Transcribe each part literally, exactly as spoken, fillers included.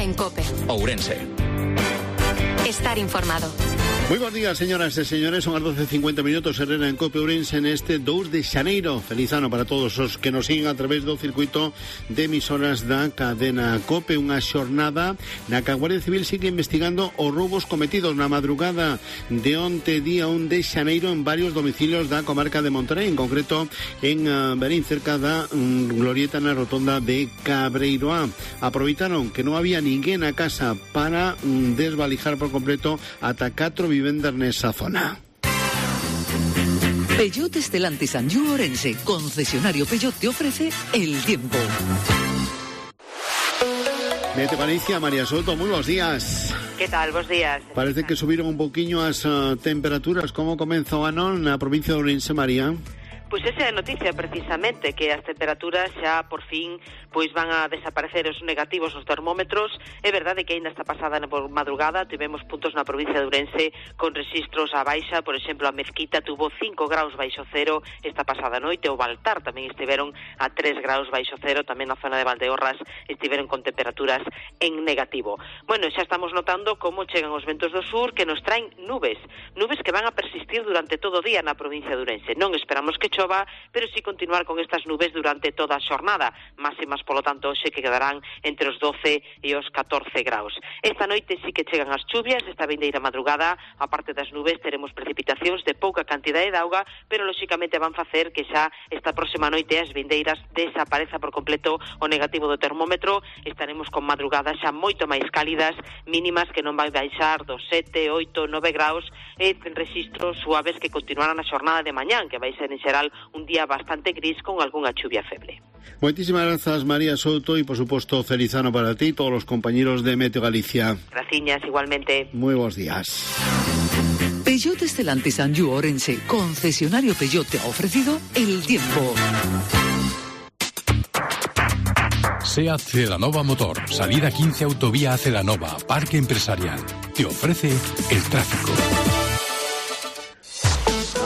en COPE. Ourense. Estar informado. Moi bons días, señoras e señores. Son as doce e cincuenta minutos. Herrera en COPE Ourense neste dous de xaneiro. Feliz ano para todos os que nos siguen a través do circuito de emisoras da cadena COPE. Unha xornada na que a Guardia Civil sigue investigando os roubos cometidos na madrugada de onte, día un de xaneiro, en varios domicilios da comarca de Monterrey, en concreto en uh, Berín, cerca da um, glorieta na rotonda de Cabreiroá. Aproveitaron que non había ninguén na casa para um, desvalijar por completo ata catro vivendas nesa zona. Peugeot Stellantis Anjou Ourense, concesionario Peugeot, te ofrece el tiempo. Mete Galicia, María Soto, moi bons días. Que tal, bons días? Parece que subiron un poquinho as uh, temperaturas. Como comeza o ano na provincia de Ourense, María? Pois esa é a noticia, precisamente, que as temperaturas xa, por fin, pois van a desaparecer os negativos nos termómetros. É verdade que ainda esta pasada na madrugada tivemos puntos na provincia de Ourense con registros a baixa. Por exemplo, a Mezquita tuvo cinco graus baixo cero esta pasada noite. O Baltar tamén estiveron a tres graus baixo cero. Tamén na zona de Valdeorras estiveron con temperaturas en negativo. Bueno, xa estamos notando como chegan os ventos do sur, que nos traen nubes. Nubes que van a persistir durante todo o día na provincia de Ourense. Non esperamos que chova, pero sí continuar con estas nubes durante toda a xornada. Máximas, polo tanto, hoxe que quedarán entre os doce e os catorce graus. Esta noite sí que chegan as chuvias. Esta vindeira madrugada, a parte das nubes, teremos precipitacións de pouca cantidade de auga, pero lóxicamente van facer que xa esta próxima noite as vindeiras desapareza por completo o negativo do termómetro. Estaremos con madrugadas xa moito máis cálidas, mínimas que non vai baixar dos sete, oito, nove graus, e registros suaves que continuarán a xornada de mañán, que vai ser en xeral un día bastante gris con algunha chuvia feble. Moitísimas grazas, María Souto, e por suposto feliz ano para ti e todos os compañeros de Meteo Galicia. Graciñas, igualmente. Moi bons días. Peugeot Stellantis Anjou Ourense, concesionario Peugeot, te ha ofrecido el tiempo. SEAT Celanova Motor, salida quince autovía a Celanova, Parque Empresarial. Te ofrece el tráfico.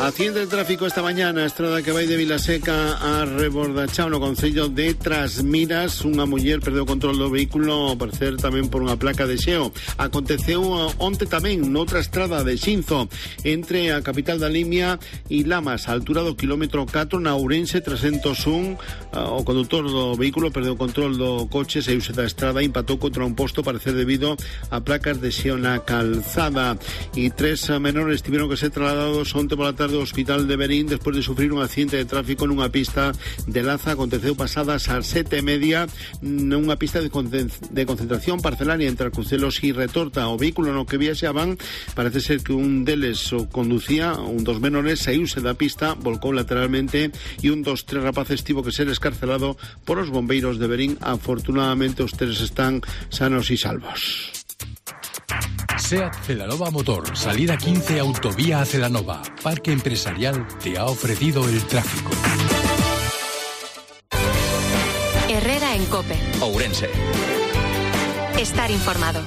Accidente de tráfico esta mañana, a estrada que vai de Vilaseca a Rebordachao, no concello de Trasmiras. Unha muller perdeu o control do vehículo, ao parecer tamén por unha placa de xeo. Aconteceu onte tamén noutra estrada de Xinzo, entre a capital da Limia e Lamas, a altura do kilómetro catro, na Ourense trescentos un. O condutor do vehículo perdeu o control do coche, saiuse da estrada e empatou contra un posto, parecer debido a placas de xeo na calzada. E tres menores tiveron que ser trasladados onte pola tarde do Hospital de Berín despois de sufrir un accidente de tráfico nunha pista de Laza. Aconteceu pasadas ás sete e media nunha pista de, concent de concentración parcelaria entre Arcucelos e Retorta. O vehículo no que viaxaban, parece ser que un deles o conducía, un dos menores, saíuse da pista, volcou lateralmente e un dos tres rapaces tivo que ser escarcelado por os bombeiros de Berín. Afortunadamente os tres están sanos e salvos. SEAT Celanova Motor, salida quince autovía a Celanova, Parque Empresarial, te ha ofrecido el tráfico. Herrera en COPE. Ourense. Estar informado.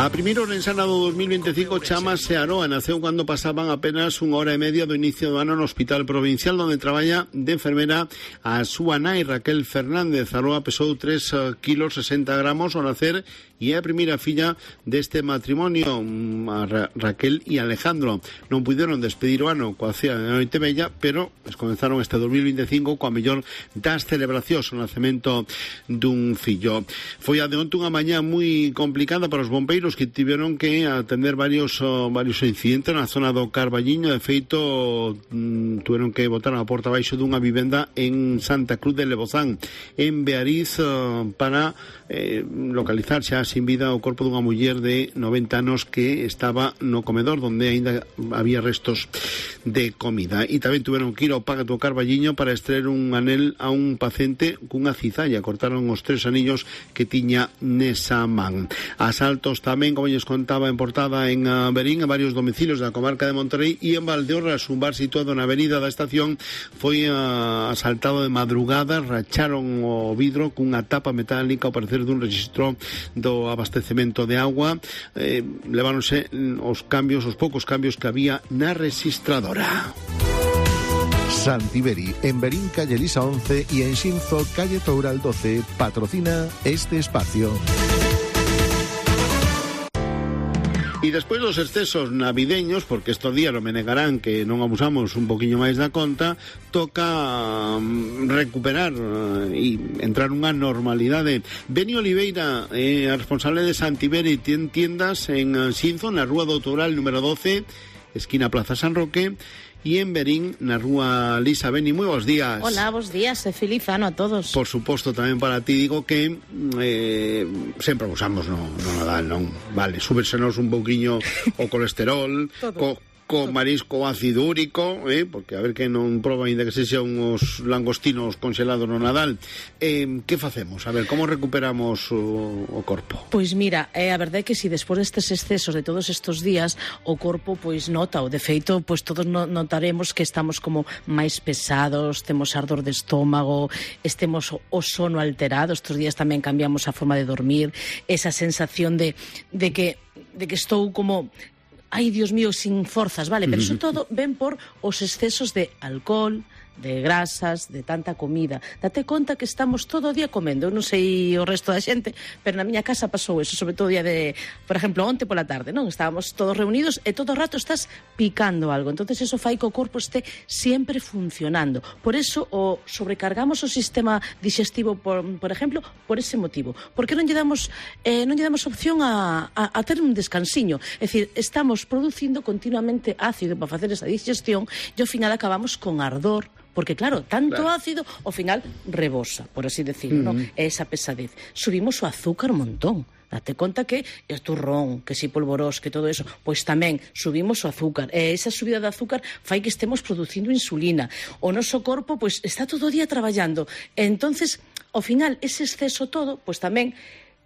A primeira orensana do dos mil veinticinco chamase Aroa. Naceu cando pasaban apenas unha hora e media do inicio do ano no Hospital Provincial, onde traballa de enfermera a súa nai, Raquel Fernández. Aroa pesou tres kilos sesenta gramos ao nacer e é a primeira filla deste matrimonio, a Ra Raquel e Alejandro. Non puderon despedir o ano coa cea de Noite Bella, pero comenzaron este dos mil veinticinco coa mellor das celebracións, o nacemento dun fillo. Foi a de onte unha mañá moi complicada para os bombeiros, que tiveron que atender varios uh, varios incidentes na zona do Carballiño. De feito, mm, tiveron que botar a porta baixo dunha vivenda en Santa Cruz de Lebozán, en Beariz, uh, para eh, localizar xa sin vida o corpo dunha muller de noventa anos que estaba no comedor, donde aínda había restos de comida. E tamén tiveron que ir ao Paga do Carballiño para extraer un anel a un paciente cunha cizalla. Cortaron os tres anillos que tiña nesa man. Asaltos tamén, como lles contaba en portada, en uh, Berín, en varios domicilios da comarca de Monterrey, e en Valdeorras, un bar situado na avenida da Estación, foi uh, asaltado de madrugada. Racharon o vidro cunha tapa metálica ao parecer dun registro do abastecemento de agua. Eh, leváronse os cambios, os poucos cambios que había na registradora. Santiberi, en Berín, calle Elisa once y en Xinzo, calle Toural doce, patrocina este espacio. E despois dos excesos navideños, porque estos días non me negarán que non abusamos un poquinho máis da conta, toca um, recuperar uh, e entrar nunha normalidade. Beni Oliveira, eh, responsable de Santiberi, ten tiendas en uh, Xinzo, na Rúa do Toural número doce, esquina Plaza San Roque, e en Berín, na Rúa Lisa. Beni, moi bons días. Hola, bons días, e feliz ano a todos. Por suposto, tamén para ti digo que eh, sempre abusamos no, no Nadal, non? Vale, súbersenos un pouquiño o colesterol, co, co marisco ácido úrico, eh, porque a ver que non proba ainda que se xa uns langostinos congelados no Nadal. Eh, que facemos? A ver, como recuperamos o, o corpo? Pois mira, eh, a verdade é que si despois destes excesos de todos estes días o corpo pois nota, o de feito pois todos no, notaremos que estamos como máis pesados, temos ardor de estómago, estemos o, o sono alterado, estes días tamén cambiamos a forma de dormir, esa sensación de, de que de que estou como ai, Dios mío, sin forzas, vale, pero iso todo ven por os excesos de alcohol, de grasas, de tanta comida. Date conta que estamos todo o día comendo. Eu non sei o resto da xente, pero na miña casa pasou eso, sobre todo o día de, por exemplo, onte pola tarde, non? Estábamos todos reunidos e todo o rato estás picando algo. Entonces eso fai que o corpo este sempre funcionando. Por eso o sobrecargamos o sistema digestivo, por, por exemplo, por ese motivo. Porque non lle damos eh, non lle damos opción a, a, a ter un descansiño. É dicir, estamos producindo continuamente ácido para facer esa digestión e ao final acabamos con ardor. Porque, claro, tanto claro. ácido, ao final rebosa, por así decirlo, uh-huh. ¿no? É esa pesadez. Subimos o azúcar un montón. Date conta que é turrón, que si polvorós, que todo eso, pois tamén subimos o azúcar. E esa subida de azúcar fai que estemos producindo insulina. O noso corpo, pois, está todo o día traballando. E entonces, ao final, ese exceso todo, pois tamén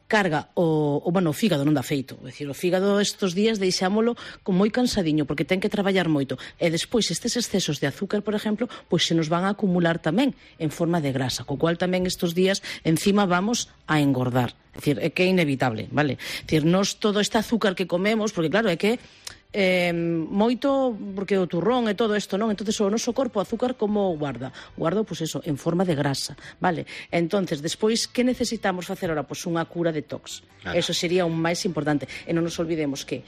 carga o, o, bueno, o fígado non dá feito. É dicir, o fígado estes días deixámolo con moi cansadiño, porque ten que traballar moito. E despois, estes excesos de azúcar, por exemplo, pois se nos van a acumular tamén en forma de grasa, co cual tamén estes días encima vamos a engordar. É dicir, é que é inevitable, vale? É dicir, nos todo este azúcar que comemos, porque claro, é que Eh, moito, porque o turrón e todo isto, non? Entonces o noso corpo o azúcar como guarda? Guarda, pois eso, en forma de grasa, vale? Entonces, despois, que necesitamos facer ahora? Pois unha cura detox. Claro. Eso sería un máis importante. E non nos olvidemos que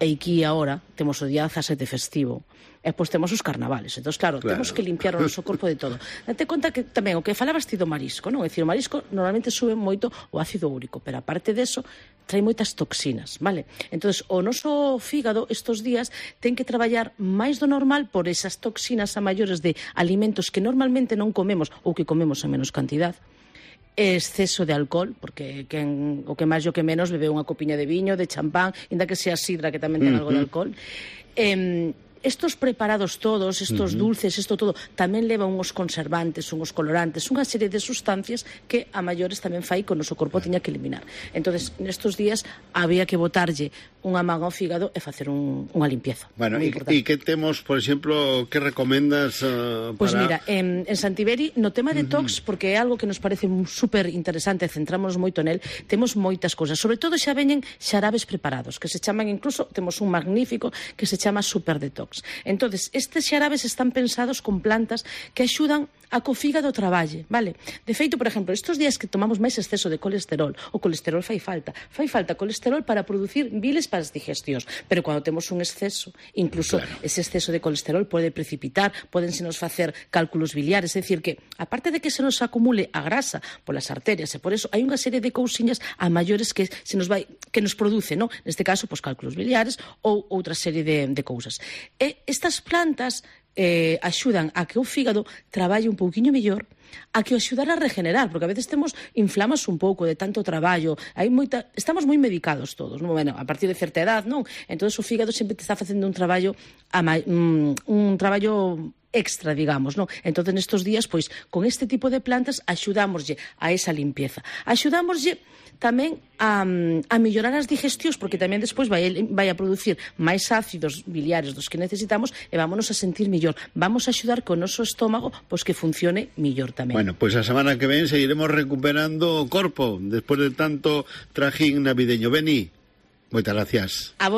aquí agora temos o día dezasete festivo e pois temos os carnavales. Entón, claro, claro, temos que limpiar o noso corpo de todo. Date conta que tamén o que falabas ti do marisco, non? É dicir, o marisco normalmente sube moito o ácido úrico, pero aparte deso trae moitas toxinas, vale? Entón, o noso fígado estes días ten que traballar máis do normal por esas toxinas a maiores de alimentos que normalmente non comemos ou que comemos en menos cantidad. Exceso de alcohol, porque quen, o que máis o que menos bebe unha copiña de viño, de champán, ainda que sea sidra, que tamén ten uh-huh. algo de alcohol. Eh, estos preparados todos, estos uh-huh. dulces, isto todo, tamén leva unhos conservantes, unhos colorantes, unha serie de sustancias que a maiores tamén fai que o noso corpo tiña que eliminar. Entonces, nestes días había que botarlle unha man ao fígado e facer un, unha limpieza. Bueno, e que temos, por exemplo, que recomendas uh, para... Pois pues mira, en, en Santiberi, no tema de detox, uh-huh. porque é algo que nos parece super interesante, centrámonos moito nel, temos moitas cousas. Sobre todo xa veñen xarabes preparados, que se chaman incluso, temos un magnífico que se chama Super Detox. Entonces, estes xarabes están pensados con plantas que axudan a que o fígado traballe, vale? De feito, por exemplo, estes días que tomamos máis exceso de colesterol, o colesterol fai falta. Fai falta colesterol para producir biles para as digestións, pero cando temos un exceso, incluso claro. ese exceso de colesterol pode precipitar, podense nos facer cálculos biliares, é dicir que, aparte de que se nos acumule a grasa polas arterias, e por eso hai unha serie de cousiñas a maiores que se nos vai, que nos produce, no? Neste caso, pois cálculos biliares ou outra serie de, de cousas. E estas plantas eh, axudan a que o fígado traballe un pouquiño mellor, a que o axudar a regenerar, porque a veces temos inflamas un pouco de tanto traballo, hai moita, estamos moi medicados todos, non? Bueno, a partir de certa edad, non? Entón o fígado sempre te está facendo un traballo a, un, un traballo extra, digamos, non? Entón nestes días, pois, con este tipo de plantas axudámoslle a esa limpieza. Axudámoslle tamén a, a mellorar as digestións, porque tamén despois vai, vai a producir máis ácidos biliares dos que necesitamos e vámonos a sentir mellor. Vamos a axudar que o noso estómago pois que funcione mellor tamén. Bueno, pois a semana que ven seguiremos recuperando o corpo despois de tanto trajín navideño. Beni, moitas gracias. A vos.